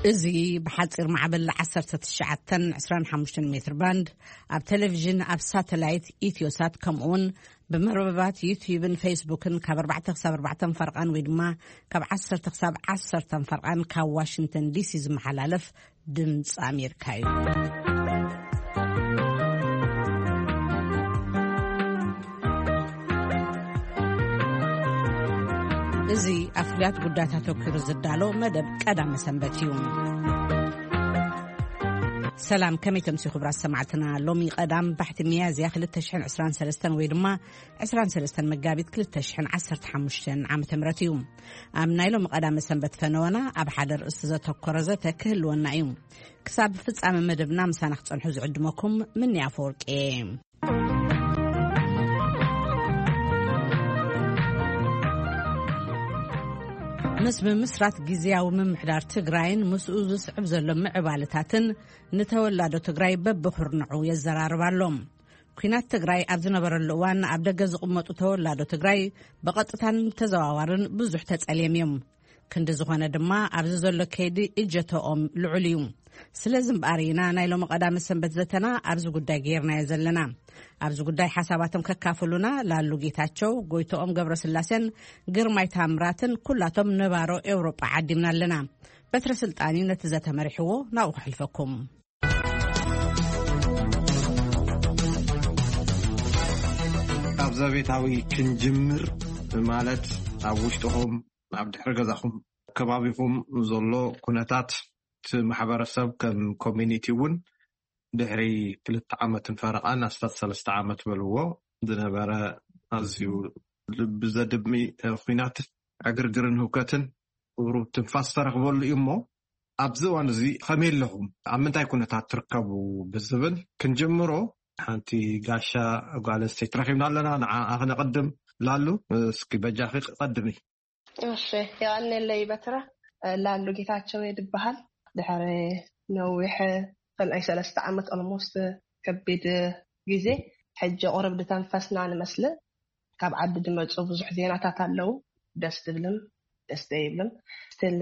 እዚ ብሓጺር ማዕበል ዓሰርተ ትሽዓተን ዕስራን ሓሙሽተን ሜትር ባንድ፣ ኣብ ቴሌቪዥን፣ ኣብ ሳተላይት ኢትዮሳት፣ ከምኡውን ብመርበባት ዩትዩብን ፌስቡክን ካብ ኣርባዕተ ክሳብ ኣርባዕተ ፈርቓን ወይ ድማ ካብ ዓሰርተ ክሳብ ዓሰርተ ፈርቓን ካብ ዋሽንግተን ዲሲ ዝመሓላለፍ ድምፂ ኣሜሪካ እዩ። እዚ ኣብ ፍሉያት ጉዳያት ኣተኩሩ ዝዳሎ መደብ ቀዳመ ሰንበት እዩ። ሰላም፣ ከመይ ተምሲ ክቡራት ሰማዕትና? ሎሚ ቀዳም ባሕቲ ሚያዝያ ክልተ ሽሕን ዕስራን ሰለስተን ወይ ድማ ዕስራን ሰለስተን መጋቢት ክልተ ሽሕን ዓሰርተ ሓሙሽተን ዓመተ ምህረት እዩ። ኣብ ናይ ሎሚ ቀዳመ ሰንበት ፈነወና ኣብ ሓደ ርእስቲ ዘተኮረ ዘተ ክህልወና እዩ። ክሳብ ፍጻመ መደብና ምሳና ክጸንሑ ዝዕድመኩም ምንያ ኣፈወርቂ እየ። ምስ ምምስራት ግዝያዊ ምምሕዳር ትግራይን ምስኡ ዝስዕብ ዘሎ ምዕባለታትን ንተወላዶ ትግራይ በብኹርንዑ የዘራርብ ኣሎ። ኲናት ትግራይ ኣብ ዝነበረሉ እዋን ኣብ ደገ ዝቕመጡ ተወላዶ ትግራይ ብቐጥታን ተዘዋዋርን ብዙሕ ተጸልዮም እዮም። ክንዲ ዝኾነ ድማ ኣብዚ ዘሎ ከይዲ እጀተኦም ልዑል እዩ። ስለዚ እምበኣር ኢና ናይ ሎሚ ቀዳመ ሰንበት ዘተና ኣብዚ ጉዳይ ጌርናዮ ዘለና። ኣብዚ ጉዳይ ሓሳባቶም ከካፍሉና ላሉ ጌታቸው፣ ጎይቶኦም ገብረስላሴን ግርማይ ታምራትን ኩላቶም ነባሮ ኤውሮጳ ዓዲምና ኣለና። በትረ ስልጣን እዩ ነቲ ዘተ መሪሕዎ፣ ናብኡ ከሕልፈኩም። ካብ ዘቤታዊ ክንጅምር፣ ማለት ኣብ ውሽጥኹም፣ ኣብ ድሕሪ ገዛኹም፣ ከባቢኹም ዘሎ ኩነታት፣ እቲ ማሕበረሰብ ከም ኮሚኒቲ እውን ድሕሪ ክልተ ዓመትን ፈረቓን ኣስታት ሰለስተ ዓመት በልዎ ዝነበረ ኣዝዩ ልቢ ዘድሚ፣ እ፣ ኲናት፣ ዕግርግርን ህውከትን ቁሩብ ትንፋስ ዝተረኽበሉ እዩ እሞ፣ ኣብዚ እዋን እዚ ከመይ ኣለኹም? ኣብ ምንታይ ኩነታት ትርከቡ? ብዝብል ክንጅምሮ፣ ሓንቲ ጋሻ ጓል ኣንስተይቲ ረኺብና ኣለና። ንዓኣ ክነቐድም ላሉ፣ እስኪ በጃኺ ቀድሚ። እሺ፣ የቐንየለይ በትረ። ላሉ ጌታቸው እየ ድበሃል። ድሕሪ ነዊሕ፣ ከም ናይ ሰለስተ ዓመት ኦልሞስት ከቢድ ግዜ፣ ሕጂ ቁርብ ድተንፈስና ንመስል። ካብ ዓዲ ድመፁ ብዙሕ ዜናታት ኣለዉ። ደስ ድብልን ደስ ዘይብልን። ስቲል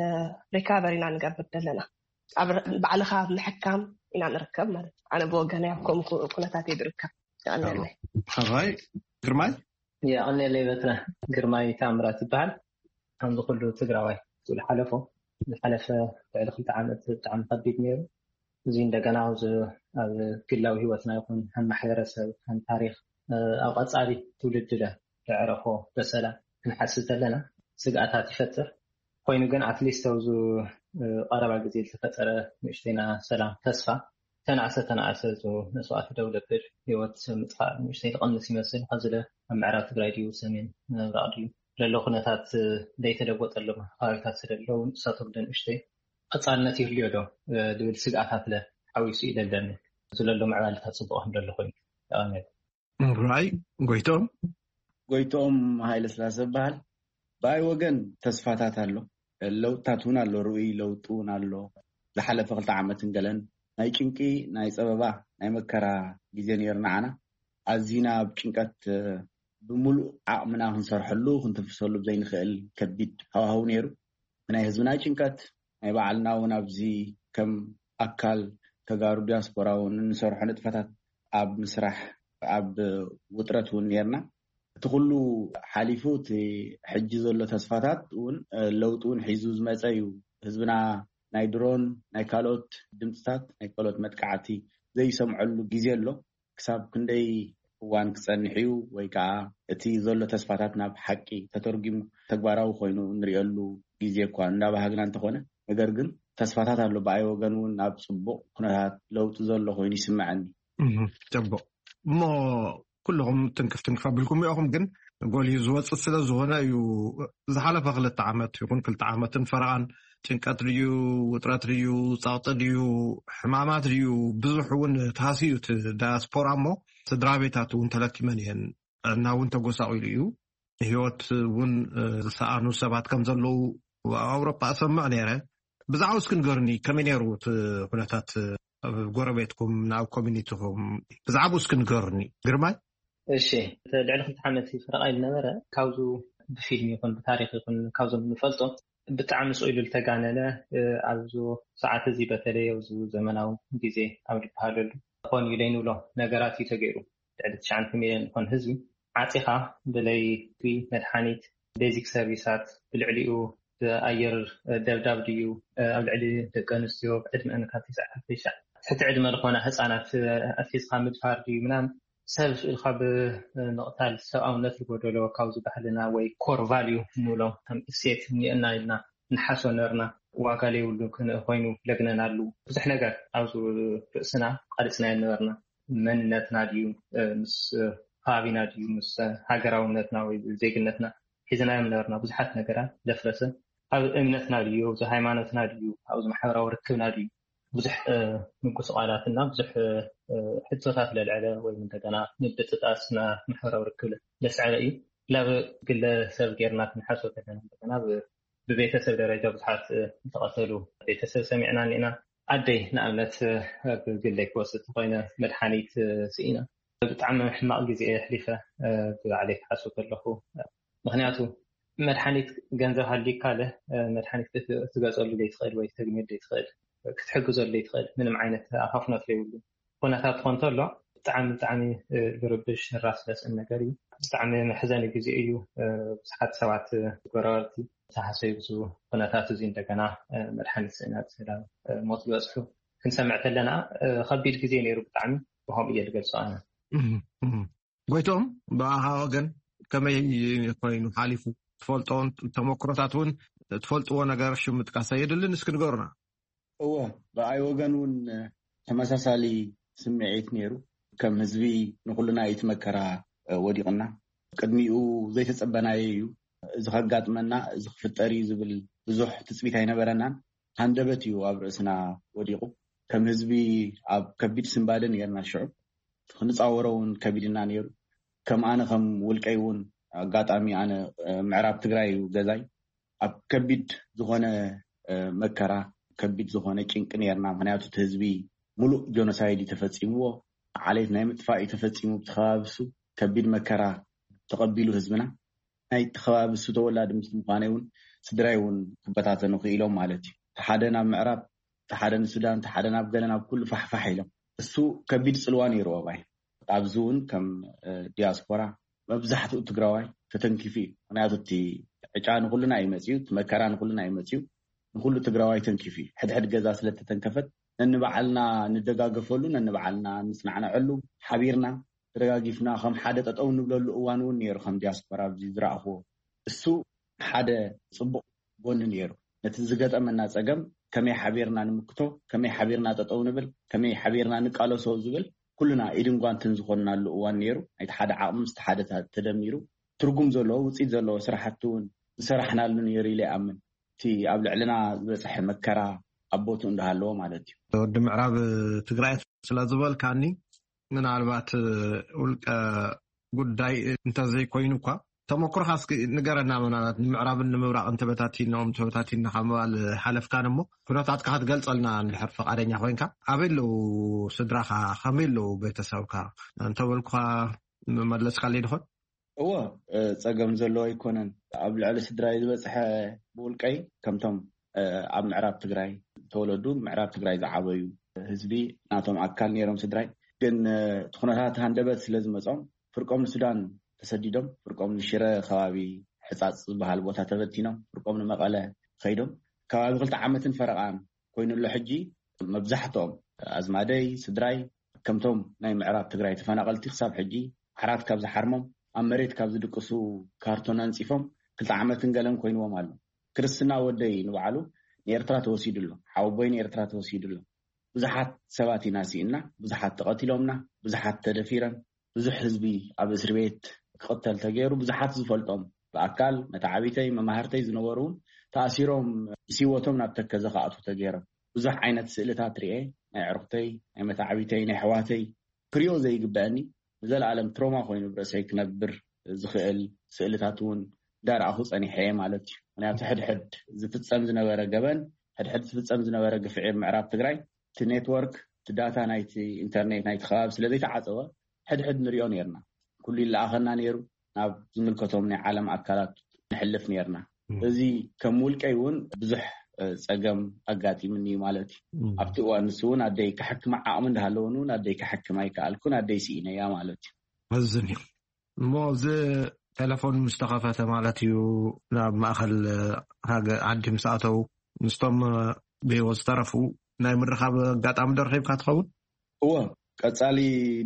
ሪካቨሪ ኢና ንገብር ዘለና። ኣብ ር-፣ ባዕልኻ ኣብ ምሕካም ኢና ንርከብ ማለት እዩ። ኣነ ብወገነይ ኣብ ከምኡ ኩ-፣ ኩነታት እየ ዝርከብ። የቐንየለይ። ሕራይ ግርማይ? የቐንየለይ በትረ። ግርማይ ታምራት ይበሃል። ከምዚ ኩሉ ትግራዋይ ዝሓለፎ፣ ዝሓለፈ ልዕሊ ክልተ ዓመት ብጣዕሚ ከቢድ ነይሩ። እዚ እንደገና ኣብዚ ኣብ ግላዊ ህይወትና ይኹን ከም ማሕበረሰብ፣ ከም ታሪኽ፣ እ፣ ኣብ ቀጻሊ ትውልዲ ለ ዘዕረፎ በሰላ ክንሓስብ ከለና ስግኣታት ይፈጥር። ኮይኑ ግን ኣትሊስት ኣብዚ፣ እ፣ ቀረባ ግዜ ዝተፈጠረ ንእሽተይና ሰላም ተስፋ ተናእሰ ተናእሰ፣ እዚ መስዋእቲ ደው ለብል፣ ህይወት ምጥፋእ ንእሽተይ ትቐንስ ይመስል። ኸዚ ለ ኣብ ምዕራብ ትግራይ ድዩ፣ ሰሜን ምብራቕ ድዩ፣ ለሎ ኩነታት ለይተለወጠሎም ከባቢታት ስለለዉ ንሳቶም ለ ንእሽተይ ቀጻልነት ይህልዮ ዶ፣ እ፣ ዝብል ስግኣታት ለ ሓዊሱ እዩ ለለኒ። እዚ ለሎ ምዕባለታት ጽቡቕ ከም ለሎ ኮይኑ። የቐንየለይ። ራይ ጎይቶም። ጎይቶም ሃይለ ስላሰ እበሃል። ብኣይ ወገን ተስፋታት ኣሎ፣ ለውጥታት እውን ኣሎ፣ ርኡይ ለውጢ እውን ኣሎ። ዝሓለፈ ክልተ ዓመትን ገለን ናይ ጭንቂ፣ ናይ ጸበባ፣ ናይ መከራ ግዜ ነይሩ ንዓና። ኣዚና ኣብ ጭንቀት፣ እ፣ ብምሉእ ዓቕምና ክንሰርሐሉ፣ ክንትንፍሰሉ ብዘይንኽእል ከቢድ ሃዋህው ነይሩ። ናይ ህዝብና ጭንቀት፣ ናይ ባዕልና እውን ኣብዚ ከም ኣካል ተጋሩ ዲያስፖራ እውን እንሰርሖ ንጥፈታት ኣብ ምስራሕ፣ ኣብ ውጥረት እውን ነይርና። እቲ ኩሉ ሓሊፉ፣ እቲ ሕጂ ዘሎ ተስፋታት እውን፣ እ፣ ለውጢ እውን ሒዙ ዝመጸ እዩ። ህዝብና ናይ ድሮን፣ ናይ ካልኦት ድምፅታት፣ ናይ ካልኦት መጥቃዕቲ ዘይሰምዐሉ ግዜ ኣሎ። ክሳብ ክንደይ እዋን ክጸንሕ እዩ፣ ወይ ከዓ እቲ ዘሎ ተስፋታት ናብ ሓቂ ተተርጒሙ ተግባራዊ ኮይኑ እንሪኤሉ ግዜ እኳ እንዳባሃግና እንተኾነ፣ ነገር ግን ተስፋታት ኣሎ። ብኣይ ወገን እውን ናብ ጽቡቕ ኩነታት ለውጢ ዘሎ ኮይኑ ይስምዐኒ። እህ፣ ጽቡቕ። እሞ ኩልኹም ትንክፍ ትንክፍ ኣቢልኩም ኢኹም፣ ግን ጎሊሁ ዝወጽእ ስለ ዝኾነ እዩ። ዝሓለፈ ክልተ ዓመት ይኹን ክልተ ዓመትን ፈረቓን ጭንቀት ድዩ፣ ውጥረት ድዩ፣ ጸቕጢ ድዩ፣ ሕማማት ድዩ፣ ብዙሕ እውን ተሃስዩ እቲ ዳያስፖራ እሞ፣ ስድራ ቤታት እውን ተለኪመን እየን። ጥዕና እውን ተጎሳቒሉ እዩ። ህይወት እውን፣ እ፣ ዝሰኣኑ ሰባት ከም ዘለዉ ኣብ ኣውሮጳ እሰምዕ ነይረ። ብዛዕባ እስኪ ንገሩኒ፣ ከመይ ነይሩ እቲ ኩነታት ኣብ ጎረቤትኩም፣ ናብ ኮሚኒቲኹም? ብዛዕባ እስኪ ንገሩኒ። ግርማይ? እሺ፣ እቲ ልዕሊ ክልተ ዓመት ፈረቓ ዝነበረ፣ ካብዙ ብፊልም ይኹን ብታሪኽ ይኹን ካብዞም ንፈልጦ ብጣዕሚ ስቕ ኢሉ ዝተጋነነ ኣብዚ ሰዓት እዚ በተለይ ኣብዚ ዘመናዊ ግዜ ኣብ ዝበሃለሉ ኮን ኢለ ንብሎ ነገራት እዩ ተገይሩ። ልዕሊ ትሽዓተ ሚልዮን ዝኾን ህዝቢ ዓፂኻ ብለይ መድሓኒት፣ ቤዚክ ሰርቪሳት፣ ብልዕሊኡ ብኣየር ደብዳብ ድዩ ኣብ ልዕሊ ደቂ ኣንስትዮ ዕድመአን ካብ ትሽዓተ ትሕቲ ዕድመ ዝኾና ህፃናት ኣትሒዝካ ምድፋር ድዩ ምናምን ሰብ ኢልካ ብምቕታል ሰብኣውነት ዝጎደሎ ካብዚ ባህልና ወይ ኮር ቫልዩ ንብሎም ከም እሴት እኒአና ኢልና ንሓሶ ነርና ዋጋ ለይብሉ ክን- ኮይኑ ለግነናሉ ብዙሕ ነገር ኣብዚ ርእስና ቃልፅና ነበርና። መንነትና ድዩ ምስ ከባቢና ድዩ ምስ ሃገራውነትና ወይ ዜግነትና ሒዝናዮም ነበርና ብዙሓት ነገራት ለፍረሰ። ኣብ እምነትና ድዩ ኣብዚ ሃይማኖትና ድዩ ኣብዚ ማሕበራዊ ርክብና ድዩ ብዙሕ ምጉስቋላትና ብዙሕ ሕቶታት ለልዕለ ወይ እንደገና ምብጥጣስና ማሕበራዊ ርክብ ለስዐበ እዩ። ላብ ግለሰብ ጌርና ክንሓስቦ ከለና እንደገና ብቤተሰብ ደረጃ ብዙሓት ዝተቐተሉ ቤተሰብ ሰሚዕና እኒና። ኣደይ ንኣብነት ብግለይ ክወስድ ተኮይነ መድሓኒት ስኢና ብጣዕሚ ሕማቕ ግዜ እየ ኣሕሊፈ። ብባዕለይ ክሓስብ ከለኹ ምክንያቱ መድሓኒት ገንዘብ ሃልዩካ ለ መድሓኒት ክትገፀሉ ዘይትኽእል ወይ ተግንየሉ ዘይትኽእል ክትሕግዘሉ ዘይትኽእል ምንም ዓይነት ኣፋፍኖት ዘይብሉ ኩነታት ትኾን ተሎ ብጣዕሚ ብጣዕሚ ዝርብሽ ራስ ለስን ነገር እዩ። ብጣዕሚ መሕዘኒ ግዜ እዩ። ብዙሓት ሰባት ጎረባብቲ ተሓሰዩ ብዙ ኩነታት እዚ እንደገና መድሓኒት ስእነት ናብ ሞት ዝበፅሑ ክንሰምዕ ከለና ከቢድ ግዜ ነይሩ ብጣዕሚ ብከምኡ እየ ዝገልፆ ኣነ። ጎይቶም ብኣኻ ወገን ከመይ ኮይኑ ሓሊፉ ትፈልጦን ተመክሮታት እውን ትፈልጥዎ ነገር ሽም ምጥቃስ ኣየድልን እስኪ ንገሩና። እወ ብኣይ ወገን እውን ተመሳሳሊ ስምዒት ነይሩ። ከም ህዝቢ ንኩልና እዩ እቲ መከራ ወዲቕና። ቅድሚኡ ዘይተጸበናዮ እዩ። እዚ ከጋጥመና እዚ ክፍጠር እዩ ዝብል ብዙሕ ትጽቢት ኣይነበረናን። ሃንደበት እዩ ኣብ ርእስና ወዲቑ። ከም ህዝቢ ኣብ ከቢድ ስንባደ ነርና ሽዑ። ክንጻወሮ እውን ከቢድና ነይሩ። ከም ኣነ ከም ውልቀይ እውን ኣጋጣሚ ኣነ ምዕራብ ትግራይ እዩ ገዛይ። ኣብ ከቢድ ዝኾነ መከራ ከቢድ ዝኾነ ጭንቂ ነርና። ምክንያቱ እቲ ህዝቢ ሙሉእ ጆኖሳይድ እዩ ተፈፂምዎ። ዓሌት ናይ ምጥፋእ እዩ ተፈፂሙ ብቲ ከባቢ እሱ ከቢድ መከራ ተቐቢሉ ህዝብና። ናይ ተኸባቢ እሱ ተወላዲ ምስ ምዃነይ እውን ስድራይ እውን ክበታተኑ ክኢሎም ማለት እዩ። ተሓደ ናብ ምዕራብ ተሓደ ንሱዳን ተሓደ ናብ ገለ ናብ ኩሉ ፋሕፋሕ ኢሎም እሱ ከቢድ ፅልዋ ነይሩ ኣባይ ኣብዚ እውን ከም ዲያስፖራ መብዛሕትኡ ትግራዋይ ተተንኪፉ እዩ። ምክንያቱ እቲ ዕጫ ንኩልና እዩ መፅዩ፣ እቲ መከራ ንኩልና እዩ መፅዩ፣ ንኩሉ ትግራዋይ ተንኪፉ እዩ። ሕድሕድ ገዛ ስለተተንከፈት ነንባዕልና ንደጋገፈሉ፣ ነንባዕልና ንፅናዕነዐሉ፣ ሓቢርና ተደጋጊፍና ከም ሓደ ጠጠው ንብለሉ እዋን እውን ነይሩ። ከም ዲያስፖራ ኣብዚ ዝረኣኽዎ እሱ ሓደ ፅቡቅ ጎኒ ነይሩ። ነቲ ዝገጠመና ፀገም ከመይ ሓቢርና ንምክቶ፣ ከመይ ሓቢርና ጠጠው ንብል፣ ከመይ ሓቢርና ንቃለሶ ዝብል ኩልና ኢድን ጓንትን ዝኾንናሉ እዋን ነይሩ። ናይቲ ሓደ ዓቕሚ ምስ ሓደ ተደሚሩ ትርጉም ዘለዎ ውፅኢት ዘለዎ ስራሕቲ እውን ዝሰራሕናሉ ነይሩ ኢለ ይኣምን። እቲ ኣብ ልዕልና ዝበፅሐ መከራ ኣብ ቦትኡ እንዳሃለዎ ማለት እዩ። ወዲ ምዕራብ ትግራይ ስለ ዝበልካኒ ምናልባት ውልቀ ጉዳይ እንተዘይኮይኑ እኳ ተመክሮኻ እስኪ ንገረና። ምናልባት ንምዕራብን ንምብራቕን ተበታቲኖም ተበታቲንካ ምባል ሓለፍካን እሞ ኩነታትካ ክትገልፀልና እንድሕር ፈቃደኛ ኮይንካ ኣበይ ኣለዉ ስድራኻ ከመይ ኣለዉ ቤተሰብካ እንተበልኩኻ መመለስካለይ ድኾን? እወ ፀገም ዘለዎ ኣይኮነን። ኣብ ልዕሊ ስድራይ ዝበፅሐ ብውልቀይ ከምቶም ኣብ ምዕራብ ትግራይ ተወለዱ ምዕራብ ትግራይ ዝዓበዩ ህዝቢ ናቶም ኣካል ነይሮም ስድራይ ግን እቲ ኩነታት ሃንደበት ስለ ዝመፆም ፍርቆም ንሱዳን ተሰዲዶም ፍርቆም ንሽረ ከባቢ ሕፃፅ ዝበሃል ቦታ ተበቲኖም ፍርቆም ንመቐለ ከይዶም ከባቢ ክልተ ዓመትን ፈረቓን ኮይኑ ኣሎ ሕጂ መብዛሕትኦም ኣዝማደይ ስድራይ ከምቶም ናይ ምዕራብ ትግራይ ተፈናቐልቲ ክሳብ ሕጂ ዓራት ካብ ዝሓርሞም ኣብ መሬት ካብ ዝድቅሱ ካርቶን ኣንፂፎም ክልተ ዓመትን ገለን ኮይንዎም ኣሎ። ክርስትና ወደይ ንባዕሉ ንኤርትራ ተወሲዱ ኣሎ። ሓወቦይ ንኤርትራ ተወሲዱ ኣሎ። ብዙሓት ሰባት ኢና ስኢና፣ ብዙሓት ተቐቲሎምና፣ ብዙሓት ተደፊረን፣ ብዙሕ ህዝቢ ኣብ እስሪ ቤት ክቕተል ተገይሩ፣ ብዙሓት ዝፈልጦም ብኣካል መተዓቢተይ መማህርተይ ዝነበሩ እውን ተኣሲሮም ምስ ህይወቶም ናብ ተከዘ ክኣትዉ ተገይሮም። ብዙሕ ዓይነት ስእልታት ርኤ፣ ናይ ዕርኽተይ፣ ናይ መተዓቢተይ፣ ናይ ኣሕዋተይ ክሪኦ ዘይግበአኒ ንዘለኣለም ትሮማ ኮይኑ ብርእሰይ ክነብር ዝኽእል ስእልታት እውን እንዳረኣኹ ፀኒሐ እየ ማለት እዩ። ምክንያቱ ሕድሕድ ዝፍፀም ዝነበረ ገበን ሕድሕድ ዝፍፀም ዝነበረ ግፍዒ ኣብ ምዕራብ ትግራይ እቲ ኔትወርክ እቲ ዳታ ናይቲ ኢንተርኔት ናይቲ ከባቢ ስለዘይተዓፀወ ሕድሕድ ንሪኦ ነርና። ኩሉ ይለኣኸና ነይሩ። ናብ ዝምልከቶም ናይ ዓለም ኣካላት ንሕልፍ ነርና። እዚ ከም ውልቀይ እውን ብዙሕ እ፣ ጸገም ኣጋጢምኒ እዩ ማለት እዩ። ኣብቲ እዋን ንሱ እውን ኣደይ ክሕክማ ዓቕሚ እንዳሃለወን እውን ኣደይ ክሕክማ ኣይከኣልኩን፣ ኣደይ ስኢነያ ማለት እዩ። መዝን እዩ። እሞ እዚ ቴሌፎን ምስ ተኸፈተ ማለት እዩ፣ ናብ ማእኸል ሃገ ዓዲ ምስ ኣተው፣ ምስቶም ብህይወት ዝተረፉ ናይ ምርኻብ ኣጋጣሚ ዶ ረኺብካ ትኸውን? እወ፣ ቀጻሊ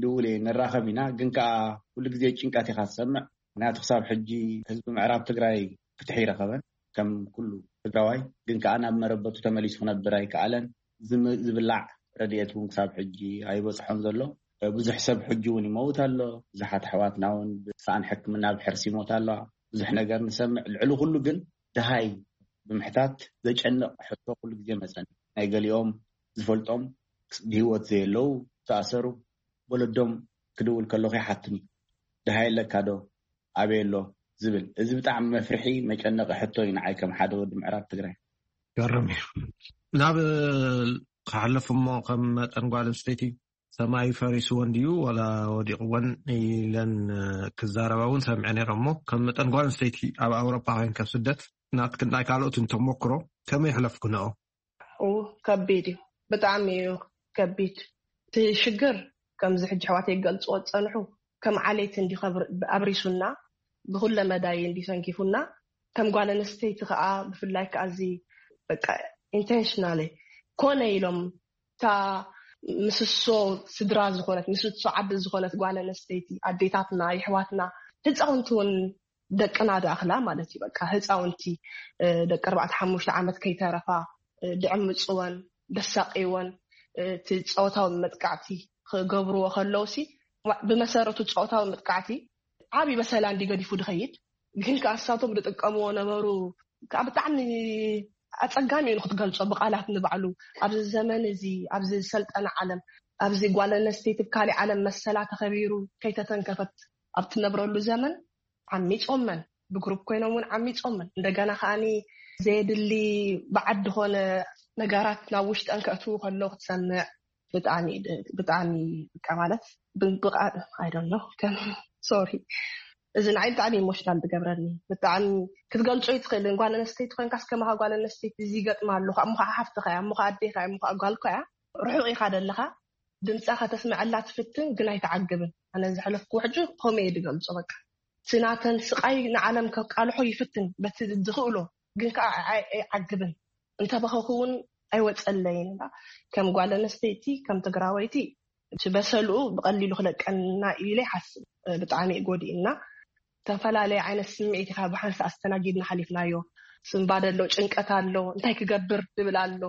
ድውል እየ፣ ንራኸብ ኢና። ግን ከኣ ኩሉ ግዜ ጭንቀት ኢኻ ትሰምዕ። ምክንያቱ ክሳብ ሕጂ ህዝቢ ምዕራብ ትግራይ ፍትሒ ይረኸበን ከም ኩሉ ትግራዋይ። ግን ከኣ ናብ መረበቱ ተመሊሱ ክነብር ኣይከኣለን። ዝም- ዝብላዕ ረድኤት እውን ክሳብ ሕጂ ኣይበፅሖን ዘሎ። ብዙሕ ሰብ ሕጂ እውን ይመውት ኣሎ። ብዙሓት ኣሕዋትና እውን ብሰኣን ሕክምና ኣብ ሕርሲ ይሞት ኣለዋ። ብዙሕ ነገር ንሰምዕ። ልዕሊ ኩሉ ግን ድሃይ ብምሕታት ዘጨንቕ ሕቶ ኩሉ ግዜ መፀኒ። ናይ ገሊኦም ዝፈልጦም ብህይወት ዘየለዉ ዝተኣሰሩ፣ ወለዶም ክድውል ከለኹ ይሓትኒ። ድሃይ ኣለካ ዶ? ኣበይ ኣሎ? ዝብል። እዚ ብጣዕሚ መፍርሒ መጨነቒ ሕቶ እዩ ንዓይ ከም ሓደ ወዲ ምዕራብ ትግራይ። ገርም እዩ። ናብ ክሓልፍ እሞ ከም መጠን ጓል ኣንስተይቲ ሰማይ ፈሪስወን ድዩ ወላ ወዲቕወን ኢለን ክዛረባ እውን ሰምዐ ነይረ። እሞ ከም መጠን ጓል ኣንስተይቲ ኣብ ኣውሮፓ ኮይን ከብ ስደት ናትክን ናይ ካልኦትን ተሞክሮ ከመይ የሕለፍክንኦ? ኡ ከቢድ እዩ፣ ብጣዕሚ እዩ ከቢድ። እቲ ሽግር ከምዚ ሕጂ ኣሕዋተይ ክገልፅዎ ዝፀንሑ ከም ዓሌት እንዲ ኣብሪሱና፣ ብኩለ መዳይ እንዲ ሰንኪፉና። ከም ጓል ኣንስተይቲ ከዓ ብፍላይ ከዓ እዚ በቃ ኢንቴንሽናል ኮነ ኢሎም እታ ምስሶ ስድራ ዝኾነት ምስሶ ዓዲ ዝኾነት ጓል ኣንስተይቲ ኣዴታትና የሕዋትና ህፃውንቲ እውን ደቅና ዝኣኽላ ማለት እዩ። በቃ ህፃውንቲ ደቂ ኣርባዕተ ሓሙሽተ ዓመት ከይተረፋ ድዕምፅወን ደሳቂወን እቲ ፆታዊ መጥቃዕቲ ክገብርዎ ከለውሲ ብመሰረቱ ፆታዊ መጥቃዕቲ ዓብዪ በሰላ እንዲ ገዲፉ ድኸይድ ግን ከኣሳቶም ዝጥቀምዎ ነበሩ ከዓ ብጣዕሚ ኣፀጋሚ እዩ ንክትገልፆ ብቃላት ንባዕሉ ኣብዚ ዘመን እዚ ኣብዚ ዝሰልጠነ ዓለም ኣብዚ ጓል ኣነስተይቲ ብካሊእ ዓለም መሰላ ተኸቢሩ ከይተተንከፈት ኣብ ትነብረሉ ዘመን ዓሚፆመን ብግሩፕ ኮይኖም እውን ዓሚፆመን እንደገና ከዓኒ ዘየድሊ በዓድ ዝኾነ ነገራት ናብ ውሽጠን ከእትዉ ከለዉ ክትሰምዕ ብጣዕሚ ብጣዕሚ በቃ ማለት ብቃ I don't know ከም ሶሪ እዚ ንዓይ ብጣዕሚ ኢሞሽናል ዝገብረኒ ብጣዕሚ ክትገልፆ ይትኽእል ጓል ኣነስተይቲ ኮይንካስ ከማኻ ጓል ኣነስተይቲ እዚ ይገጥማ ኣለኹ እሞ ከዓ ሓፍትኻ እያ እሞ ከዓ ኣዴኻ እሞ ከዓ ጓልኳ እያ ርሑቕ ኢኻ ዘለኻ ድምፃ ከተስምዐላ ትፍትን ግን ኣይትዓግብን ኣነ ዘሕለፍኩ ሕጂ ከምኡ እየ ዝገልፆ በቃ እቲ ናተን ስቃይ ንዓለም ከቃልሖ ይፍትን በቲ ዝኽእሎ ግን ከዓ ኣይዓግብን እንተበኸኹ እውን ኣይወፀለይን ከም ጓል ኣነስተይቲ ከም ትግራወይቲ እቲ በሰልኡ ብቐሊሉ ክለቀና ኢለ ይሓስብ ብጣዕሚ እዩ ጎዲእና ዝተፈላለየ ዓይነት ስምዒት ኢኻ ብሓንሳ ኣስተናጊድና ሓሊፍናዮ ስንባደ ኣሎ ጭንቀት ኣሎ እንታይ ክገብር ዝብል ኣሎ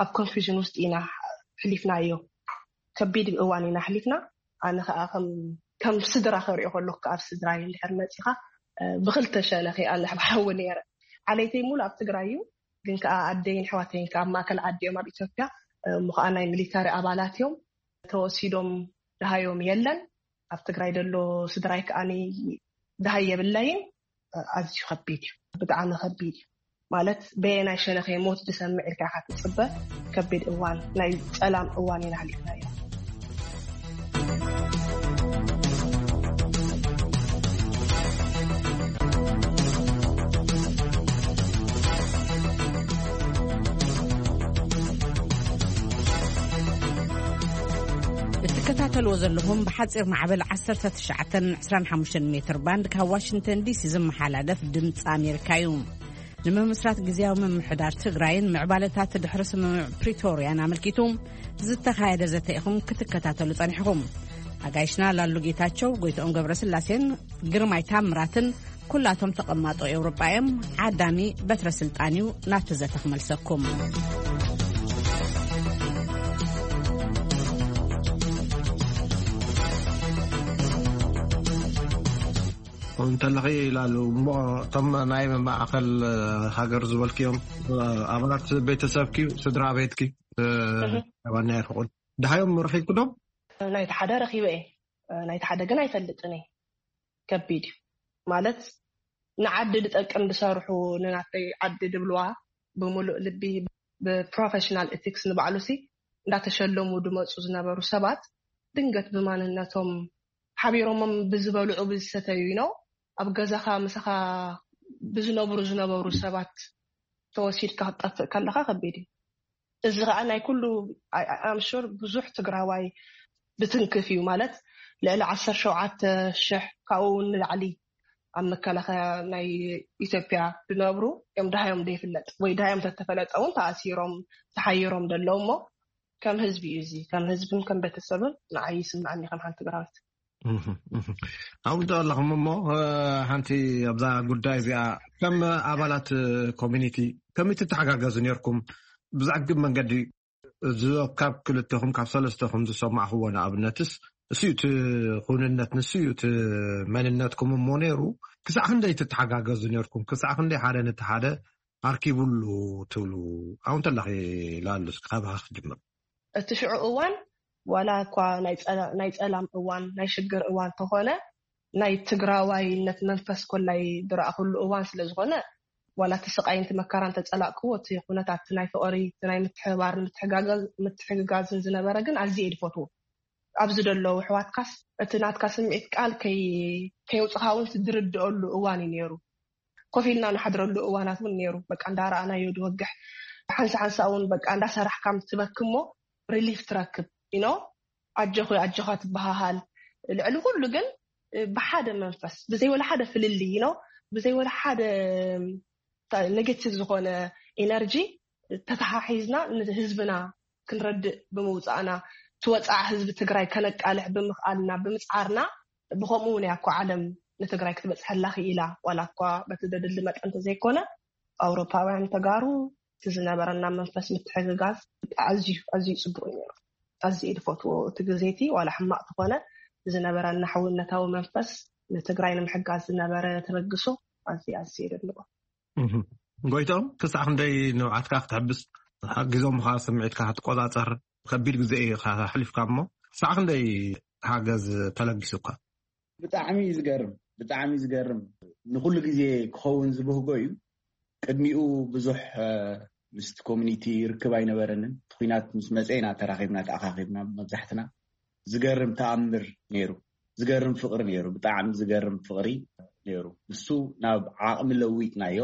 ኣብ ኮንፊዥን ውስጥ ኢና ሕሊፍናዮ ከቢድ እዋን ኢና ኣሕሊፍና ኣነ ከዓ ከም ስድራ ከሪኦ ከለኩ ኣብ ስድራይ እንድሕር መፂኻ ብክልተ ሸነኺ ኣነ ብሓዊ ነይረ ዓሌተይ ሙሉ ኣብ ትግራይ እዩ ግን ከዓ ኣደይን ኣሕዋተይን ከዓ ኣብ ማእከል ዓዲ እዮም ኣብ ኢትዮጵያ እሞ ከዓ ናይ ሚሊታሪ ኣባላት እዮም ተወሲዶም ደሃዮም የለን ኣብ ትግራይ ዘሎ ስድራይ ከዓ ደሃይ የብለይን ኣዝዩ ከቢድ እዩ ብጣዕሚ ከቢድ እዩ ማለት በየናይ ሸነኸ ሞት ዝሰምዕ ኢልካ ኢኻ ትፅበ ከቢድ እዋን ናይ ፀላም እዋን ኢና ኣሕሊፍናዮ እትከታተልዎ ዘለኹም ብሓፂር ማዕበል ዓሰርተ ትሽዓተን ዕስራን ሓሙሽተን ሜትር ባንድ ካብ ዋሽንግተን ዲሲ ዝመሓላለፍ ድምፂ ኣሜሪካ እዩ። ንምምስራት ግዝያዊ ምምሕዳር ትግራይን ምዕባለታት ድሕሪ ስምምዕ ፕሪቶርያን ኣመልኪቱ ዝተኻየደ ዘተ ኢኹም ክትከታተሉ ጸኒሕኹም። ኣጋይሽና ላሉ ጌታቸው፣ ጎይትኦም ገብረስላሴን ግርማይ ታምራትን ኩላቶም ተቐማጦ ኤውሮጳ እዮም። ዓዳሚ በትረ ስልጣን እዩ ናብቲ ዘተ ክመልሰኩም። እንተለኺ ይላሉ እሞ እቶም ናይ ማእኸል ሃገር ዝበልክዮም ኣባላት ቤተሰብኪ ስድራ ቤትኪ ኣባና ይርሕቁን ድሃዮም ረኺብክዶም? ናይቲ ሓደ ረኺበ እየ ናይቲ ሓደ ግን ኣይፈልጥን እየ ከቢድ እዩ ማለት ንዓዲ ዝጠቅም ዝሰርሑ ንናተይ ዓዲ ዝብልዋ ብምሉእ ልቢ ብፕሮፌሽናል ኤቲክስ ንባዕሉ ሲ እንዳተሸለሙ ዝመፁ ዝነበሩ ሰባት ድንገት ብማንነቶም ሓቢሮሞም ብዝበልዑ ብዝሰተዩ ኢኖ ኣብ ገዛኻ ምሳኻ ብዝነብሩ ዝነበሩ ሰባት ተወሲድካ ክትጠፍእ ከለካ ከቢድ እዩ። እዚ ከዓ ናይ ኩሉ ኣምሹር ብዙሕ ትግራዋይ ብትንክፍ እዩ። ማለት ልዕሊ ዓሰርተ ሸውዓተ ሽሕ ካብኡ ንላዕሊ ኣብ መከላኸያ ናይ ኢትዮጵያ ዝነብሩ እዮም። ድሃዮም ዘይፍለጥ ወይ ድሃዮም ተተፈለጠ እውን ተኣሲሮም ተሓይሮም ዘለዉ እሞ ከም ህዝቢ እዩ። እዚ ከም ህዝብን ከም ቤተሰብን ንዓይ ይስምዐኒ ከም ሓንቲ ትግራዊት። ኣብኡ ኣለኹም እሞ ሓንቲ ኣብዛ ጉዳይ እዚኣ ከም ኣባላት ኮሚኒቲ ከመይ ትተሓጋገዙ ነርኩም? ብዛዕግብ መንገዲ እዚ ካብ ክልተኹም ካብ ሰለስተኹም ዝሰማዕኽዎ ንኣብነትስ እሱ እቲ ኩንነት ንሱ እዩ እቲ መንነትኩም እሞ ነይሩ። ክሳዕ ክንደይ ትተሓጋገዙ ነርኩም? ክሳዕ ክንደይ ሓደ ነቲ ሓደ ኣርኪቡሉ ትብሉ? ኣብኡ እንተለኺ ላሉስ ካባኻ ክጅምር። እቲ ሽዑ እዋን ዋላ እኳ ናይ ጸላም እዋን ናይ ሽግር እዋን ተኾነ ናይ ትግራዋይነት መንፈስ ኮላይ ዝረኣኹሉ እዋን ስለዝኾነ ዋላ እቲ ስቃይን እቲ መከራን ተጸላእክዎ እቲ ኩነታት ናይ ፍቕሪ ናይ ምትሕባር ምትሕጋጋዝን ዝነበረ ግን ኣዝየ ድፈትዎ። ኣብዚ ደለዉ ኣሕዋትካስ እቲ ናትካ ስምዒት ቃል ከየውፅኻ እውን ዝርድአሉ እዋን እዩ ነይሩ። ኮፍ ኢልና ንሓድረሉ እዋናት እውን ነይሩ። በቃ እንዳረኣናዮ ድወግሕ ሓንሳ ሓንሳ እውን በቃ እንዳሰራሕካ ትበኪ እሞ ሪሊፍ ትረክብ ኢኖ ኣጆኺ ኣጆኻ ትበሃሃል። ልዕሊ ኩሉ ግን ብሓደ መንፈስ ብዘይ ወላ ሓደ ፍልልይ ኢኖ ብዘይ ወላ ሓደ ኔጌቲቭ ዝኾነ ኢነርጂ ተተሓሒዝና ንህዝብና ክንረድእ ብምውፃእና ትወፃዕ ህዝቢ ትግራይ ከነቃልሕ ብምኽኣልና ብምፅዓርና ብከምኡ እውን እያ እኮ ዓለም ንትግራይ ክትበፅሐላ ክኢላ። ዋላ እኳ በቲ ደድሊ መጠን እንተዘይኮነ ኣውሮፓውያን ተጋሩ እቲ ዝነበረና መንፈስ ምትሕግጋዝ ኣዝዩ ኣዝዩ ፅቡቅ እዩ ነይሩ። ኣዝየ ድፈትዎ እቲ ግዜቲ ዋላ ሕማቅ ተኾነ ዝነበረና ሕውነታዊ መንፈስ ንትግራይ ንምሕጋዝ ዝነበረ ተበግሶ ኣዝየ ኣዝየ የደንቆ። ጎይቶም ክሳዕ ክንደይ ንብዓትካ ክትሕብስ ሓጊዞምኻ ስምዒትካ ክትቆፃፀር ከቢድ ግዜ እዩ ኣሕሊፍካ እሞ ክሳዕ ክንደይ ሓገዝ ተለጊሱካ? ብጣዕሚ እዩ ዝገርም ብጣዕሚ እዩ ዝገርም። ንኩሉ ግዜ ክኸውን ዝብህጎ እዩ። ቅድሚኡ ብዙሕ ምስቲ ኮሚኒቲ ርክብ ኣይነበረንን። እቲ ኩናት ምስ መፀ ኢና ተራኺብና ተኣኻኺብና መብዛሕትና። ዝገርም ተኣምር ነይሩ። ዝገርም ፍቕሪ ነይሩ። ብጣዕሚ ዝገርም ፍቕሪ ነይሩ። ንሱ ናብ ዓቕሚ ለዊጥናዮ።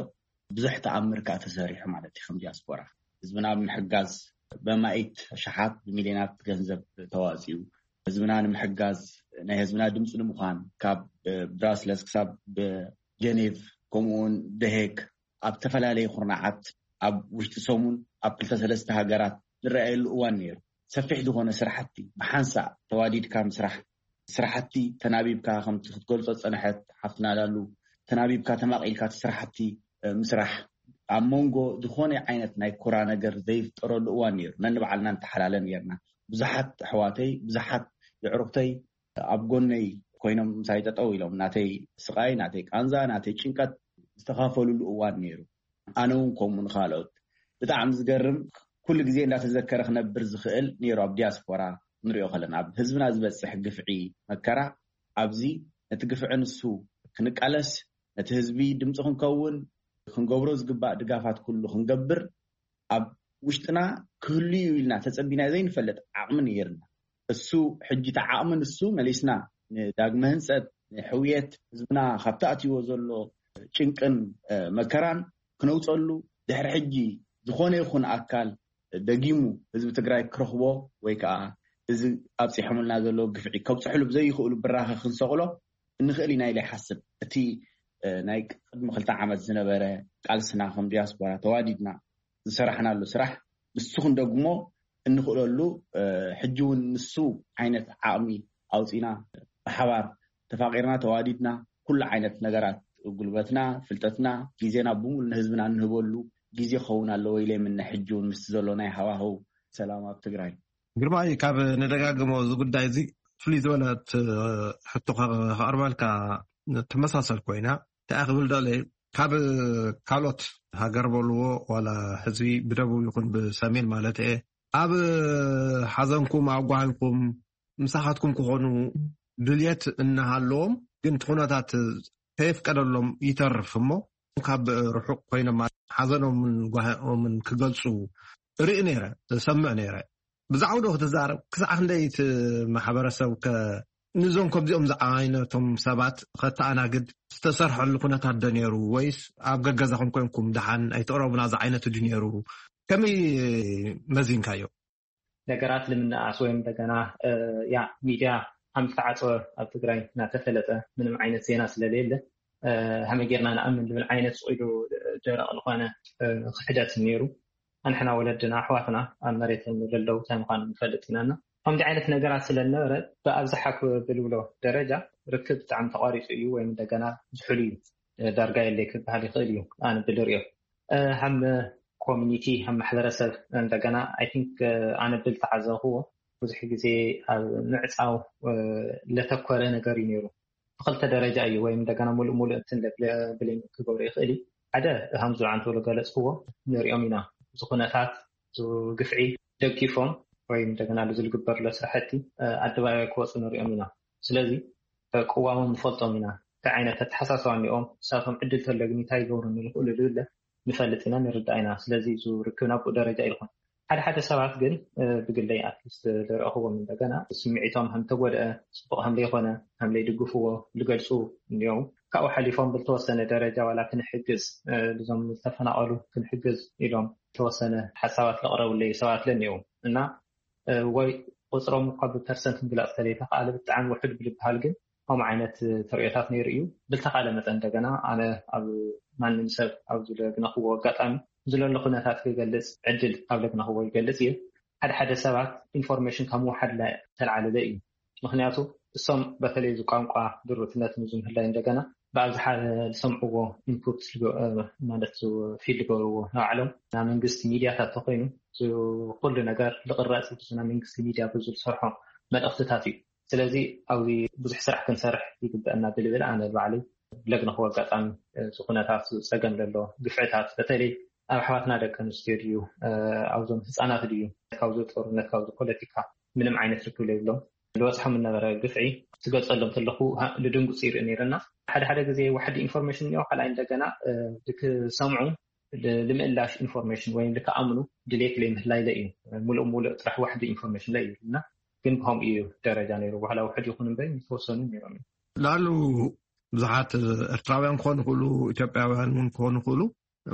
ብዙሕ ተኣምር ከዓ ተሰሪሑ ማለት እዩ። ከም ዲያስፖራ ህዝብና ብምሕጋዝ በማኢት ሸሓት ብሚልዮናት ገንዘብ ተዋፂኡ ህዝብና ንምሕጋዝ ናይ ህዝብና ድምፂ ንምዃን ካብ ብራስለስ ክሳብ ጀኔቭ ከምኡውን ደሄግ ኣብ ዝተፈላለዩ ኩርናዓት ኣብ ውሽጢ ሰሙን ኣብ ክልተ ሰለስተ ሃገራት ዝረኣየሉ እዋን ነይሩ። ሰፊሕ ዝኾነ ስራሕቲ ብሓንሳእ ተዋዲድካ ምስራሕ ስራሕቲ ተናቢብካ ከምቲ ክትገልፆ ዝፀንሐት ሓፍትና ላሉ ተናቢብካ ተማቒልካ እቲ ስራሕቲ ምስራሕ ኣብ መንጎ ዝኾነ ዓይነት ናይ ኩራ ነገር ዘይፍጠረሉ እዋን ነይሩ። ነንባዕልና ንተሓላለ ነርና። ብዙሓት ኣሕዋተይ ብዙሓት የዕሩኽተይ ኣብ ጎነይ ኮይኖም ምሳይ ጠጠው ኢሎም ናተይ ስቃይ ናተይ ቃንዛ ናተይ ጭንቀት ዝተኻፈልሉ እዋን ነይሩ። ኣነ እውን ከምኡ ንካልኦት ብጣዕሚ ዝገርም ኩሉ ግዜ እንዳተዘከረ ክነብር ዝኽእል ነይሩ። ኣብ ዲያስፖራ ንሪኦ ከለና ኣብ ህዝብና ዝበፅሕ ግፍዒ መከራ ኣብዚ ነቲ ግፍዒ ንሱ ክንቃለስ ነቲ ህዝቢ ድምፂ ክንከውን ክንገብሮ ዝግባእ ድጋፋት ኩሉ ክንገብር ኣብ ውሽጥና ክህሉ እዩ ኢልና ተፀቢና ዘይንፈልጥ ዓቕሚ ነይርና። እሱ ሕጂ እቲ ዓቕሚ ንሱ መሊስና ንዳግመ ህንፀት ንሕውየት ህዝብና ካብቲ ኣትይዎ ዘሎ ጭንቅን መከራን ክነውፀሉ ድሕሪ ሕጂ ዝኾነ ይኹን ኣካል ደጊሙ ህዝቢ ትግራይ ክረኽቦ ወይ ከዓ እዚ ኣብፂሖምልና ዘሎ ግፍዒ ከብፅሕሉ ብዘይኽእሉ ብራኸ ክንሰቕሎ እንኽእል ኢና ኢለ ይሓስብ። እቲ ናይ ቅድሚ ክልተ ዓመት ዝነበረ ቃልስና ከም ዲያስፖራ ተዋዲድና ዝሰራሕናሉ ስራሕ ንሱ ክንደግሞ እንኽእለሉ ሕጂ እውን ንሱ ዓይነት ዓቕሚ ኣውፂና ብሓባር ተፋቂርና ተዋዲድና ኩሉ ዓይነት ነገራት ጉልበትና ፍልጠትና ግዜና ብምሉ ንህዝብና እንህበሉ ግዜ ክኸውን ኣለዎ ኢለ የምነ። ሕጂ እውን ምስቲ ዘሎ ናይ ሃዋህው ሰላም ኣብ ትግራይ ግርማይ ካብ ንደጋግሞ እዚ ጉዳይ እዚ ፍሉይ ዝበለት ሕቶ ከቕርበልካ ትመሳሰል ኮይና እንታይ ክብል ደለ ካብ ካልኦት ሃገር በልዎ ዋላ ህዝቢ ብደቡብ ይኹን ብሰሜን ማለት እየ ኣብ ሓዘንኩም ኣብ ጓሂኩም ምሳኻትኩም ክኾኑ ድልየት እናሃለዎም ግን እቲ ኩነታት ከየፍቀደሎም ይተርፍ እሞ ካብ ርሑቕ ኮይኖም ሓዘኖምን ጓሂኦምን ክገልፁ ርኢ ነይረ ዝሰምዕ ነይረ። ብዛዕባ ዶ ክትዛረብ ክሳዕ ክንደይ እቲ ማሕበረሰብ ከ ንዞም ከምዚኦም ዝዓይነቶም ሰባት ከተኣናግድ ዝተሰርሐሉ ኩነታት ዶ ነይሩ? ወይስ ኣብ ገገዛኹም ኮንኩም ደሓን ኣይትቕረቡና ዝዓይነቱ ድዩ ነይሩ? ከመይ መዚንካዮ? ነገራት ንምንኣስ ወይም እንደገና ያ ሚድያ ከም ዝተዓፀወ ኣብ ትግራይ እናተፈለጠ ምንም ዓይነት ዜና ስለሌለ ከመይ ጌርና ንኣምን ዝብል ዓይነት ስቕ ኢሉ ደረቕ ዝኾነ ክሕደት ነይሩ። ኣንሕና ወለድና ኣሕዋትና ኣብ መሬት ዘለዉ እንታይ ምዃኑ ንፈልጥ ኢና። ከምዚ ዓይነት ነገራት ስለ ዝነበረ ብኣብዝሓ ክብል ብሎ ደረጃ ርክብ ብጣዕሚ ተቋሪፁ እዩ ወይም እንደገና ዝሑል እዩ። ዳርጋ የለይ ክበሃል ይኽእል እዩ። ኣነ ብልሪኦ ከም ኮሚኒቲ ከም ማሕበረሰብ እንደገና ኣይ ቲንክ ኣነ ብል ተዓዘብክዎ ብዙሕ ግዜ ኣብ ምዕፃው ለተኮረ ነገር እዩ ነይሩ። ብክልተ ደረጃ እዩ ወይም እንደገና ሙሉእ ሙሉእ እንትን ብሌም ክገብሩ ይኽእል እዩ። ሓደ ከም ዝዓንተሉ ገለፅክዎ ንሪኦም ኢና። እዚ ኩነታት ግፍዒ ደጊፎም ወይም እንደገና ዝግበር ለስራሕቲ ኣደባባይ ክወፁ ንሪኦም ኢና። ስለዚ ቅዋሞም ንፈልጦም ኢና። እንታይ ዓይነት ኣተሓሳስባ እኒኦም እሳቶም ዕድል ተለግኒ እንታይ ይገብሩ ንኽእሉ ዝብለ ንፈልጥ ኢና ንርዳእ ኢና። ስለዚ እዚ ርክብ ናብኡ ደረጃ ኢልኩም ሓደ ሓደ ሰባት ግን ብግለይ ኣትሊስት ዝረእኽዎም እንደገና ስምዒቶም ከም ተጎድአ፣ ፅቡቅ ከም ዘይኮነ፣ ከም ዘይድግፍዎ ዝገልፁ እኒኦም። ካብኡ ሓሊፎም ብልተወሰነ ደረጃ ዋላ ክንሕግዝ እዞም ዝተፈናቀሉ ክንሕግዝ ኢሎም ተወሰነ ሓሳባት ለቅረቡለይ ሰባት ለኒኦም እና ወይ ቁፅሮም እኳ ብፐርሰንት ምግላፅ ተለይተካኣለ ብጣዕሚ ውሑድ ብልበሃል ግን ከምኡ ዓይነት ተርእዮታት ነይሩ እዩ። ብልተካለ መጠን እንደገና ኣነ ኣብ ማንም ሰብ ኣብ ዝለግነክዎ ኣጋጣሚ ዝለሎ ኩነታት ክገልፅ ዕድል ኣብ ለግነክዎ ይገልፅ እየ። ሓደ ሓደ ሰባት ኢንፎርሜሽን ካብ ምውሓድ ላይ ተልዓለለ እዩ። ምክንያቱ እሶም በተለይ እዚ ቋንቋ ድሩትነት ንዝምህላይ እንደገና ብኣብዝሓ ዝሰምዕዎ ኢንፑት ማለት ፊድ ዝገብርዎ ንባዕሎም ናይ መንግስቲ ሚድያታት ተኮይኑ ኩሉ ነገር ዝቅረፅ ናይ መንግስቲ ሚድያ ብዙ ዝሰርሖ መልእክትታት እዩ። ስለዚ ኣብዚ ብዙሕ ስራሕ ክንሰርሕ ይግበአና ብልብል ኣነ ባዕሉ ለግነክዎ ኣጋጣሚ እዚ ኩነታት ፀገም ዘሎ ግፍዕታት በተለይ ኣብ ኣሕዋትና ደቂ ኣንስትዮ ድዩ ኣብዞም ህፃናት ድዩ ካብዚ ጦርነት ካብዚ ፖለቲካ ምንም ዓይነት ርክብ ዘይብሎም ዝበፅሖም ዝነበረ ግፍዒ ትገልፀሎም ተለኩ ልድንጉፅ ይርኢ ነይርና ሓደ ሓደ ግዜ ዋሕዲ ኢንፎርሜሽን እኒኦ ካልኣይ እንደገና ክሰምዑ ልምእላሽ ኢንፎርሜሽን ወይም ልክኣምኑ ድሌት ለይምህላይለ እዩ። ሙሉእ ሙሉእ ጥራሕ ዋሕዲ ኢንፎርሜሽን ለይ ይብልና ግን ብከምኡ እዩ ደረጃ ነይሩ በኋላ ውሕድ ይኹን እምበር ዝተወሰኑ ነይሮም እዩ። ላሉ ብዙሓት ኤርትራውያን ክኾኑ ይኽእሉ፣ ኢትዮጵያውያን እውን ክኾኑ ይኽእሉ፣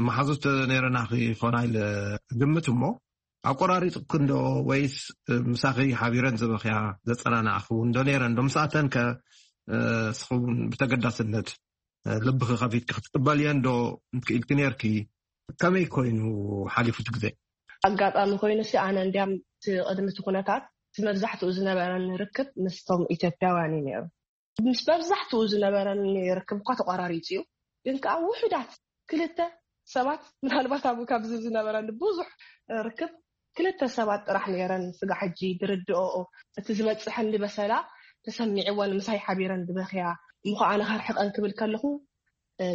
መሓዙት ነይረና ክኾና ኢለ ግምት እሞ ኣቆራሪፅክን ዶ ወይስ ምሳኺ ሓቢረን ዝበኽያ ዘፀናናዕኽውን ዶ ነይረን ዶ? ምስኣተን ከ እስኽውን ብተገዳስነት ልብኺ ከፊትኪ ክትቅበልየን ዶ ክኢልኪ ነይርኪ? ከመይ ኮይኑ ሓሊፉ እቲ ግዜ? ኣጋጣሚ ኮይኑ ሲ ኣነ እንዲያም እቲ ቅድሚ እቲ ኩነታት እቲ መብዛሕትኡ ዝነበረን ርክብ ምስቶም ኢትዮጵያውያን እዩ ነይሩ። ምስ መብዛሕትኡ ዝነበረኒ ርክብ እኳ ተቋራሪፁ እዩ። ግን ከዓ ውሑዳት ክልተ ሰባት ምናልባት ኣብኡ ካብዚ ዝነበረኒ ብዙሕ ርክብ ክልተ ሰባት ጥራሕ ነይረን ስጋ ሕጂ ድርድኦኦ እቲ ዝበፅሐኒ በሰላ ተሰሚዕወን ምሳይ ሓቢረን ዝበኽያ እሞ ከዓ ኣነ ከርሕቀን ክብል ከለኹ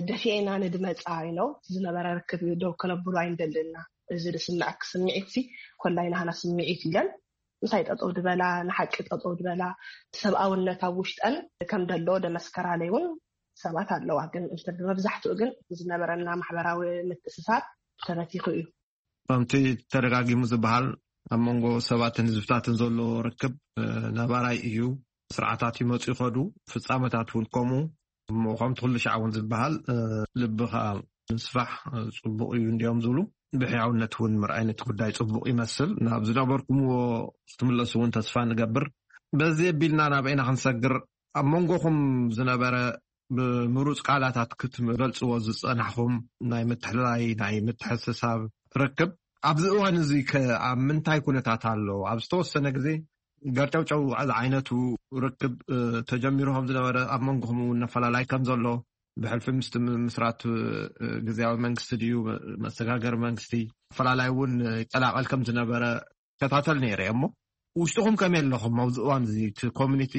ደፊኤና ንድመፃ ኢለው ዝነበረ ርክብ ደው ከለብሉ ኣይንደልና እዚ ዝስምዐክ ስምዒት ሲ ኮላይ ናህና ስምዒት ኢለን ምሳይ ጠጠው ድበላ ንሓቂ ጠጠው ድበላ ሰብኣውነት ኣብ ውሽጠን ከም ደሎ ደመስከራለይ እውን ሰባት ኣለዋ ግን እንተ ብመብዛሕትኡ ግን ዝነበረና ማሕበራዊ ምትእስሳር ተበቲኹ እዩ። ከምቲ ተደጋጊሙ ዝበሃል ኣብ መንጎ ሰባትን ህዝብታትን ዘሎ ርክብ ነባራይ እዩ። ስርዓታት ይመፁ ይኸዱ፣ ፍፃመታት እውን ከምኡ። እሞ ከምቲ ኩሉ ሻዕ እውን ዝበሃል ልብኻ ምስፋሕ ፅቡቕ እዩ እንዲዮም ዝብሉ። ብሕያውነት እውን ምርኣይ ነቲ ጉዳይ ፅቡቕ ይመስል። ናብ ዝነበርኩምዎ ክትምለሱ እውን ተስፋ ንገብር። በዚ ኣቢልና ናበይና ክንሰግር ኣብ መንጎኹም ዝነበረ ብምሩፅ ቃላታት ክትገልፅዎ ዝፀናሕኹም ናይ ምትሕልላይ ናይ ምትሕስሳብ ርክብ ኣብዚ እዋን እዚ ከ ኣብ ምንታይ ኩነታት ኣሎ? ኣብ ዝተወሰነ ግዜ ገርጨውጨው ዝዓይነቱ ርክብ ተጀሚሩ ከም ዝነበረ ኣብ መንጎኹም እውን ነፈላላይ ከም ዘሎ ብሕልፊ ምስቲ ምስራት ግዝያዊ መንግስቲ ድዩ መሰጋገሪ መንግስቲ ኣፈላላይ እውን ይቀላቀል ከም ዝነበረ ከታተል ነይረ እሞ ውሽጥኹም ከመይ ኣለኹም ኣብዚ እዋን እዚ እቲ ኮሚኒቲ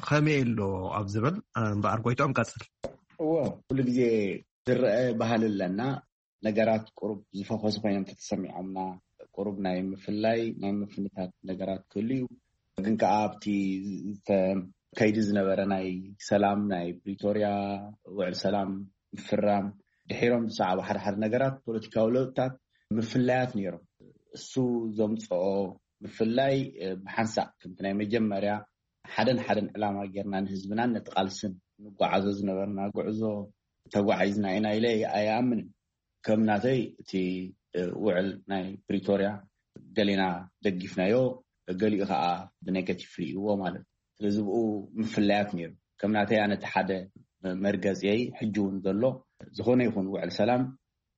ከመይ ኣሎ ኣብ ዝብል እምበኣር ጎይትኦም ቀፅል። እዎ ኩሉ ግዜ ዝረአ ባህሊ ኣለና። ነገራት ቁሩብ ዝፈኾሱ ኮይኖም ተተሰሚዖምና ቁሩብ ናይ ምፍላይ ናይ ምፍንታት ነገራት ክህሉ እዩ። ግን ከዓ ኣብቲ ከይዲ ዝነበረ ናይ ሰላም ናይ ፕሪቶርያ ውዕል ሰላም ምፍራም ድሒሮም ዝሰዓቡ ሓደ ሓደ ነገራት ፖለቲካዊ ለውጥታት ምፍላያት ነይሮም። እሱ ዘምፅኦ ምፍላይ ብሓንሳእ ከምቲ ናይ መጀመርያ ሓደን ሓደን ዕላማ ጌርና ንህዝብናን ነቲ ቃልስን ንጓዓዞ ዝነበርና ጉዕዞ ተጓዒዝና ኢና ኢለ ኣይኣምንን። ከም ናተይ እቲ ውዕል ናይ ፕሪቶርያ ገሌና ደጊፍናዮ፣ ገሊኡ ከዓ ብኔጋቲቭ ርእይዎ ማለት እዩ። ስለዚ ብኡ ምፍላያት ነይሩ። ከም ናተይ ኣነ እቲ ሓደ መርገፂየይ ሕጂ እውን ዘሎ፣ ዝኾነ ይኹን ውዕል ሰላም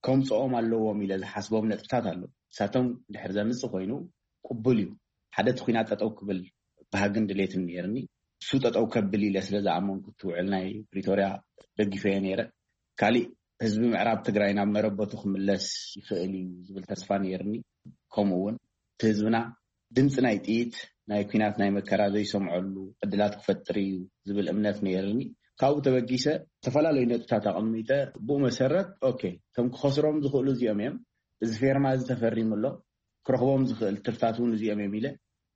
ከምፅኦም ኣለዎም ኢለ ዝሓስቦም ነጥብታት ኣሎ። ንሳቶም ድሕር ዘምፅእ ኮይኑ ቅቡል እዩ። ሓደ እቲ ኩናት ጠጠው ክብል ባህግን ድሌትን ነይርኒ። እሱ ጠጠው ከብል ኢለ ስለ ዝኣመንኩ እቲ ውዕል ናይ ፕሪቶርያ ደጊፈዮ ነይረ። ካሊእ ህዝቢ ምዕራብ ትግራይ ናብ መረበቱ ክምለስ ይኽእል እዩ ዝብል ተስፋ ነይርኒ። ከምኡ እውን እቲ ህዝብና ድምፂ ናይ ጥይት ናይ ኩናት ናይ መከራ ዘይሰምዐሉ ዕድላት ክፈጥር እዩ ዝብል እምነት ነይርኒ። ካብኡ ተበጊሰ ዝተፈላለዩ ነጥብታት ኣቐሚጠ፣ ብኡ መሰረት ኦኬ፣ እቶም ክኸስሮም ዝኽእሉ እዚኦም እዮም፣ እዚ ፌርማ እዚ ተፈሪሙ ኣሎ፣ ክረኽቦም ዝኽእል ትርፍታት እውን እዚኦም እዮም ኢለ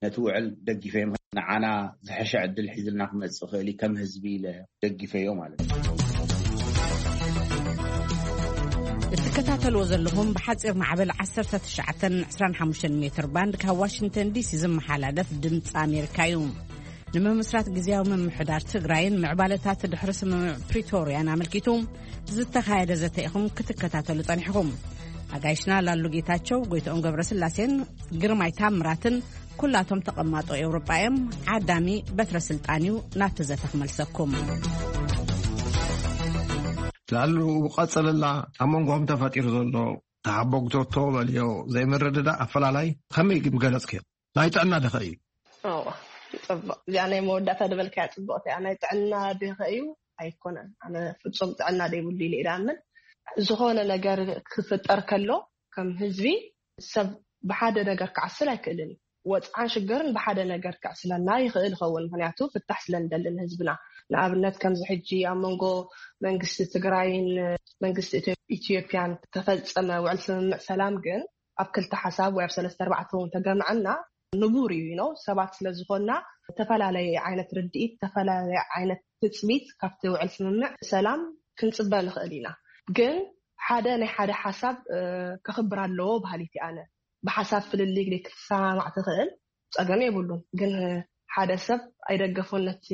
ነቲ ውዕል ደጊፈ። ንዓና ዝሐሸ ዕድል ሒዝልና ክመፅእ ይኽእል እዩ ከም ህዝቢ ኢለ ደጊፈዮ ማለት እዩ። እትከታተልዎ ዘለኹም ብሓፂር ማዕበል ዓሰርተ ትሽዓተን ዕስራን ሓሙሽተን ሜትር ባንድ ካብ ዋሽንግተን ዲሲ ዝመሓላለፍ ድምፂ ኣሜሪካ እዩ። ንምምስራት ግዜያዊ ምምሕዳር ትግራይን ምዕባለታት ድሕሪ ስምምዕ ፕሪቶርያን ኣመልኪቱ ዝተኻየደ ዘተ ኢኹም ክትከታተሉ ጸኒሕኹም። ኣጋይሽና ላሉ ጌታቸው፣ ጎይትኦም ገብረስላሴን ግርማይ ታምራትን ኩላቶም ተቐማጦ ኤውሮጳ እዮም። ዓዳሚ በትረ ስልጣን እዩ ናብቲ ዘተ ክመልሰኩም። ላሉ ቀጽልላ። ኣብ መንጎም ተፈጢሩ ዘሎ ተሓቦግቶቶ በልዮ ዘይምርድዳእ ኣፈላላይ ከመይ ምገለጽክዮ? ናይ ጥዕና ደኸ እዩ? እዋ፣ ጽቡቕ። እዚኣ ናይ መወዳእታ ዝበልካያ ጽቡቕቲ እያ። ናይ ጥዕና ደኸ እዩ? ኣይኮነን። ኣነ ፍጹም ጥዕና ደይብሉ ኢለ እየ ዝኣምን። ዝኾነ ነገር ክፍጠር ከሎ ከም ህዝቢ ሰብ ብሓደ ነገር ክዓስል ኣይክእልን እዩ። ወጽዓን ሽግርን ብሓደ ነገር ክዕስለና ይኽእል ይኸውን፣ ምኽንያቱ ፍታሕ ስለ ንደሊ ንህዝብና። ንኣብነት ከምዚ ሕጂ ኣብ መንጎ መንግስቲ ትግራይን መንግስቲ ኢትዮ- ኢትዮጵያን ተፈጸመ ውዕል ስምምዕ ሰላም ግን ኣብ ክልተ ሓሳብ ወይ ኣብ ሰለስተ ኣርባዕተ እውን ተገምዐና ንቡር እዩ ነው ሰባት ስለ ዝኾንና ዝተፈላለየ ዓይነት ርድኢት ዝተፈላለየ ዓይነት ትጽቢት ካብቲ ውዕል ስምምዕ ሰላም ክንጽበ ንኽእል ኢና። ግን ሓደ ናይ ሓደ ሓሳብ እ፣ ከኽብር ኣለዎ በሃሊት እየ ኣነ። ብሓሳብ ፍልልይ ዘይክትሰማማዕ ትኽእል፣ ጸገም የብሉን። ግን ሓደ ሰብ ኣይደገፎን ነቲ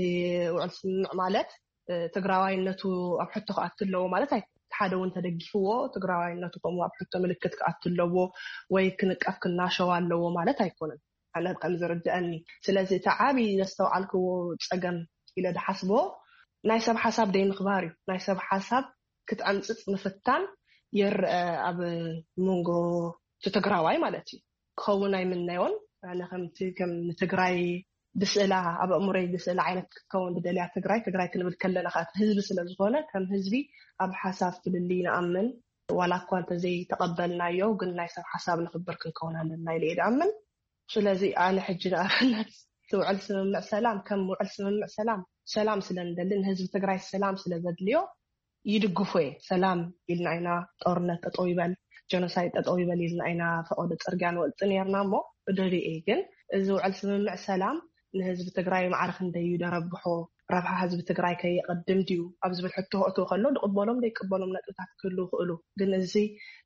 ውዕል ስምምዕ ማለት እ፣ ትግራዋይነቱ ኣብ ሕቶ ክኣቱ ኣለዎ ማለት ኣይ ሓደ እውን ተደጊፍዎ ትግራዋይነቱ ከምኡ ኣብ ሕቶ ምልክት ክኣቱ ኣለዎ ወይ ክንቀፍ ክናሸው ኣለዎ ማለት ኣይኮነን። ኣነ ከም ዝርድአኒ። ስለዚ እቲ ዓብዪ ዘስተውዓልክዎ ጸገም ኢለ ዝሓስቦ ናይ ሰብ ሓሳብ ደይ ምኽባር እዩ። ናይ ሰብ ሓሳብ ክትዕምፅፅ ምፍታን ይርአ ኣብ መንጎ እቲ ትግራዋይ ማለት እዩ። ክኸውን ኣይምነዮን። ኣነ ከምቲ ከም ንትግራይ ብስእላ ኣብ ኣእምሮይ ብስእላ ዓይነት ክትከውን ዝደልያ ትግራይ ትግራይ ክንብል ከለና ከኣ ህዝቢ ስለ ዝኾነ ከም ህዝቢ ኣብ ሓሳብ ፍልልይ ንኣምን። ዋላ እኳ እንተዘይተቐበልናዮ ግን ናይ ሰብ ሓሳብ ንኽብር ክንከውን ኣለና ኢለ እየ ዝኣምን። ስለዚ ኣነ ሕጂ ንኣብነት እቲ ውዕል ስምምዕ ሰላም ከም ውዕል ስምምዕ ሰላም ሰላም ስለ ንደሊ ንህዝቢ ትግራይ ሰላም ስለ ዘድልዮ ይድግፎ እየ። ሰላም ኢልና ኢና ጦርነት ጠጠው ይበል ጀኖሳይድ ጠጠው ይበል ኢልና ኢና ፈቐዶ ፅርግያ ንወፅእ ነርና እሞ እደልዮ እየ። ግን እዚ ውዕል ስምምዕ ሰላም ንህዝቢ ትግራይ ማዕረ ክንደይ እዩ ደረብሖ ረብሓ ህዝቢ ትግራይ ከየቐድም ድዩ ኣብ ዝብል ሕቶ ክእትው ከሎ ድቕበሎም ዘይቅበሎም ነጥብታት ክህልው ይኽእሉ። ግን እዚ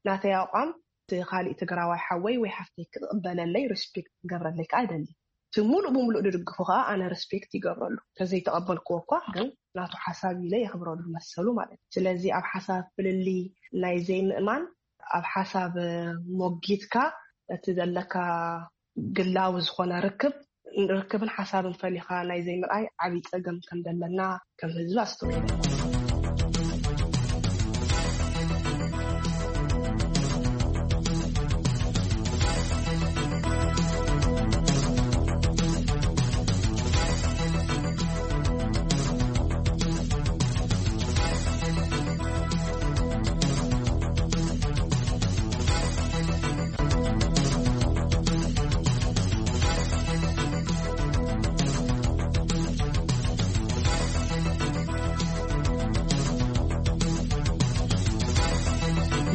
ናተይ ኣቋም እቲ ካሊእ ትግራዋይ ሓወይ ወይ ሓፍተይ ክቕበለለይ ሪስፔክት ክገብረለይ ከዓ ይደሊ። እቲ ሙሉእ ብሙሉእ ድድግፎ ከዓ ኣነ ሪስፔክት ይገብረሉ። ተዘይተቐበልክዎ እኳ ግን ናቱ ሓሳብ ኢለ የኽብረሉ መሰሉ ማለት እዩ። ስለዚ ኣብ ሓሳብ ፍልልይ ናይ ዘይምእማን ኣብ ሓሳብ ሞጊትካ እቲ ዘለካ ግላዊ ዝኾነ ርክብ ርክብን ሓሳብን ፈሊኻ ናይ ዘይምርኣይ ዓብዪ ፀገም ከም ዘለና ከም ህዝቢ ኣስተውዒለ።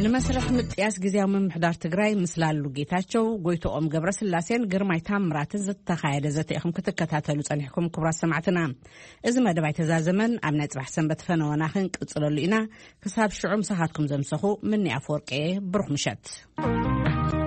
ንመስርሕ ምጥያስ ግዜያዊ ምምሕዳር ትግራይ ምስ ላሉ ጌታቸው፣ ጎይቶኦም ገብረስላሴን ግርማይ ታምራትን ዝተኻየደ ዘተ ኢኹም ክትከታተሉ ጸኒሕኩም። ክቡራት ሰማዕትና፣ እዚ መደብ ኣይተዛዘመን። ኣብ ናይ ጽባሕ ሰንበት ፈነወና ክንቅጽለሉ ኢና። ክሳብ ሽዑ ምሳኻትኩም ዘምሰኹ ምኒ ኣፈወርቂ እየ። ብሩኽ ምሸት።